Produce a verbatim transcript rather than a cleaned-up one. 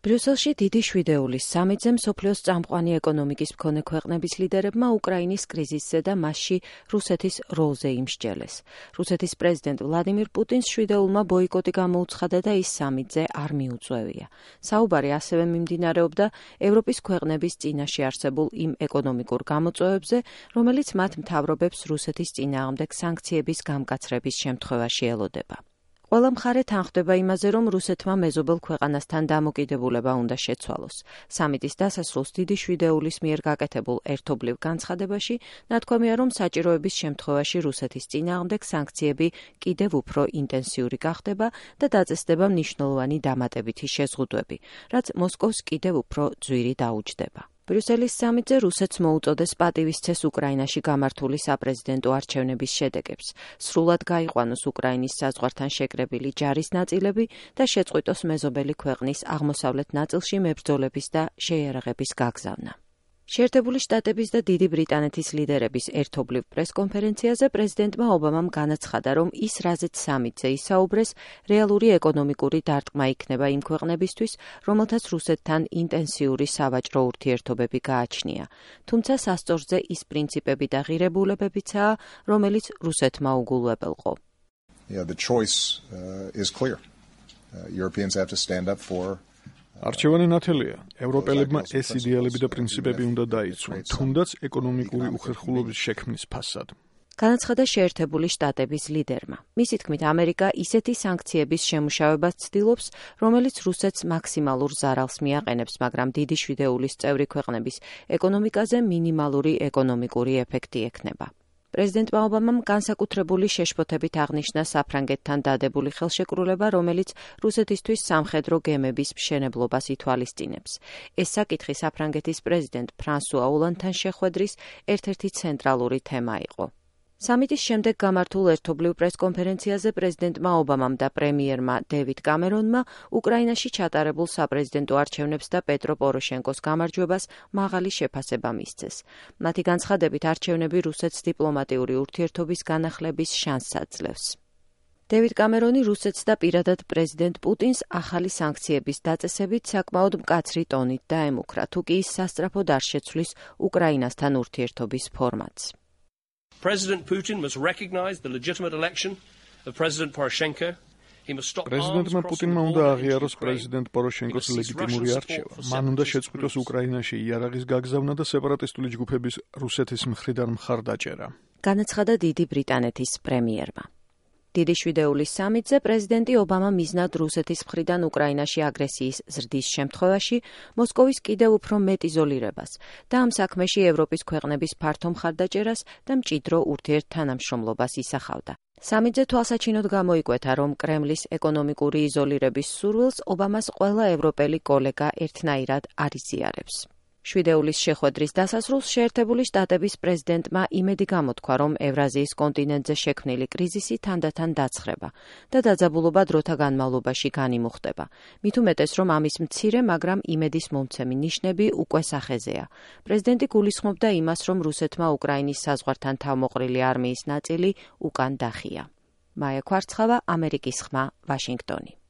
ბრიუსელში დიდი შვიდეულის სამიტზე მსოფლიოს წამყვანი ეკონომიკის მქონე ქვეყნების ლიდერებმა უკრაინის კრიზისზე და მასში რუსეთის როლზე იმსჯელეს. რუსეთის პრეზიდენტ ვლადიმირ პუტინს შვიდეულმა ბოიკოტი გამოუცხადა და ის სამიტზე არ მიუწვევია. საუბარი ასევე მიმდინარეობდა ევროპის ქვეყნების წინაშე არსებულ იმ ეკონომიკურ გამოწვევებზე, რომელიც მათ მთავრობებს რუსეთის წინააღმდეგ სანქციების გამკაცრების შემთხვევაში ელოდება. ყველა მხარე თანხმდება იმაზე, რომ რუსეთმა მეზობელ ქვეყანასთან დამოკიდებულება უნდა შეცვალოს. სამიტის დასასრულს დიდი შვიდეულის მიერ გაკეთებულ ერთობლივ განცხადებაში ნათქვამია, რომ საჭიროების შემთხვევაში რუსეთის წინააღმდეგ სანქციები კიდევ უფრო ინტენსიური გახდება და დაწესდება მნიშვნელოვანი დამატებითი შეზღუდვები, რაც მოსკოვს კიდევ უფრო ძვირი დაუჯდება. ბრიუსელის სამიტზე რუსეთს მოუწოდეს პატივისცეს უკრაინაში გამართული საპრეზიდენტო არჩევნების შედეგებს, სრულად გაიყვანოს უკრაინის საზღვართან შეკრებილი ჯარის ნაწილები და შეწყვიტოს მეზობელი ქვეყნის აღმოსავლეთ ნაწილში მებრძოლების და შეიარაღების გაგზავნა. შეერთებული შტატების და დიდი ბრიტანეთის ლიდერების ერთობლივ პრესკონფერენციაზე პრეზიდენტმა ობამამ განაცხადა, რომ ის რაზეც სამიტზე ისაუბრეს, რეალური ეკონომიკური დარტყმა იქნება იმ ქვეყნებისთვის, რომელთაც რუსეთთან ინტენსიური სავაჭრო ურთიერთობები გააჩნია. თუმცა სასწორზე ის პრინციპები და ღირებულებებიცაა, რომელიც რუსეთმა უგულვებელყო. Yeah, the choice uh, is clear. Uh, Europeans have to stand up for არჩევანი ნათელია. ევროპელებმა ეს იდეალები და პრინციპები უნდა დაიცვან, თუნდაც ეკონომიკური უხერხულობის შექმნის ფასად. განაცხადა შეერთებული შტატების ლიდერმა. მისი თქმით, ამერიკა ისეთი სანქციების შემუშავებას ცდილობს, რომელიც რუსეთს მაქსიმალურ ზარალს მიაყენებს, მაგრამ დიდი შვიდეულის წევრი ქვეყნების ეკონომიკაზე მინიმალური ეკონომიკური ეფექტი ექნება. პრეზიდენტმა ობამამ განსაკუთრებული შეშფოთებით აღნიშნა საფრანგეთთან დადებული ხელშეკრულება, რომელიც რუსეთისთვის სამხედრო გემების მშენებლობას ითვალისწინებს. ეს საკითხი საფრანგეთის პრეზიდენტ ფრანსუა ოლანდთან შეხვედრის ერთ-ერთი ცენტრალური თემა იყო. სამიტის შემდეგ გამართულ ერთობლივ პრესკონფერენციაზე პრეზიდენტმა ობამამ და პრემიერმა დევიდ კამერონმა უკრაინაში ჩატარებულ საპრეზიდენტო არჩევნებს და პეტრო პოროშენკოს გამარჯვებას მაღალი შეფასება მისცეს. მათი განცხადებით არჩევნები რუსეთს დიპლომატიური ურთიერთობის განახლების შანსს აძლევს. დევიდ კამერონი რუსეთს და პირადად პრეზიდენტ პუტინს ახალი სანქციების დაწესებით საკმაოდ მკაცრი ტონით დაემუქრა, თუ კი ის სასწრაფოდ არ შეცვლის უკრაინასთან ურთიერთობის ფორმატს. President Putin must recognize the legitimate election of President Poroshenko. He must stop პრეზიდენტმა პუტინმა უნდა აღიაროს პრეზიდენტ პოროშენკოს ლეგიტიმური არჩევა. მან უნდა შეწყვიტოს უკრაინაში იარაღის გაგზავნა და სეპარატისტული ჯგუფების რუსეთის მხრიდან მხარდაჭერა. განაცხადა დიდი ბრიტანეთის პრემიერმა. დიდი შვიდეულის სამიტზე პრეზიდენტი ობამა მიზნად რუსეთის მხრიდან უკრაინაში აგრესიის ზრდის შემთხვევაში მოსკოვის კიდევ უფრო მეტ იზოლირებას და ამ საქმეში ევროპის ქვეყნების ფართო მხარდაჭერას და მჭიდრო ურთიერთთანამშრომლობას ისახავდა. სამიტზე თვალსაჩინოდ გამოიკვეთა, რომ კრემლის ეკონომიკური იზოლირების სურვილს ობამას ყველა ევროპელი კოლეგა ერთნაირად არ იზიარებს. შვიდეულის შეხვედრის დასასრულს შეერთებული შტატების პრეზიდენტმა იმედი გამოთქვა, რომ ევრაზიის კონტინენტზე შექმნილი კრიზისი თანდათან დაცხრება და დაძაბულობა დროთა განმავლობაში განიმუხტება. მით უმეტეს, რომ ამის მცირე, მაგრამ იმედის მომცემი ნიშნები უკვე სახეზეა. პრეზიდენტი გულისხმობდა იმას, რომ რუსეთმა უკრაინის საზღვართან თავმოყრილი არმიის ნაწილი უკან დახია. მაია ქვარცხავა, ამერიკის ხმა, ვაშინგტონი.